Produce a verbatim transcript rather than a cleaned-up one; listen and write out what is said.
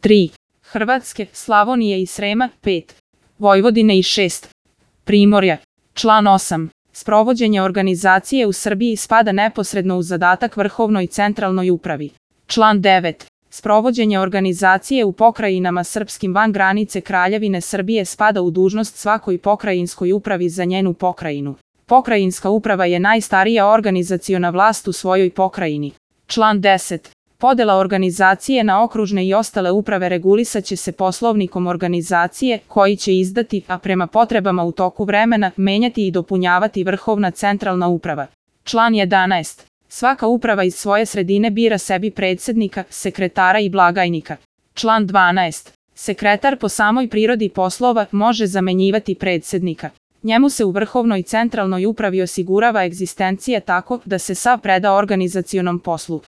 tri. Hrvatske, Slavonije i Srema, pet. Vojvodine i šest. Primorja. Član osam. Sprovođenje organizacije u Srbiji spada neposredno u zadatak Vrhovnoj centralnoj upravi. Član devet. Sprovođenje organizacije u pokrajinama srpskim van granice Kraljevine Srbije spada u dužnost svakoj pokrajinskoj upravi za njenu pokrajinu. Pokrajinska uprava je najstarija organizaciona vlast u svojoj pokrajini. Član deset. Podela organizacije na okružne i ostale uprave regulisaće se poslovnikom organizacije koji će izdati, a prema potrebama u toku vremena, menjati i dopunjavati Vrhovna centralna uprava. Član jedanaest. Svaka uprava iz svoje sredine bira sebi predsednika, sekretara i blagajnika. Član dvanaest. Sekretar po samoj prirodi poslova može zamenjivati predsednika. Njemu se u Vrhovnoj centralnoj upravi osigurava egzistencija tako da se sav preda organizacionom poslu.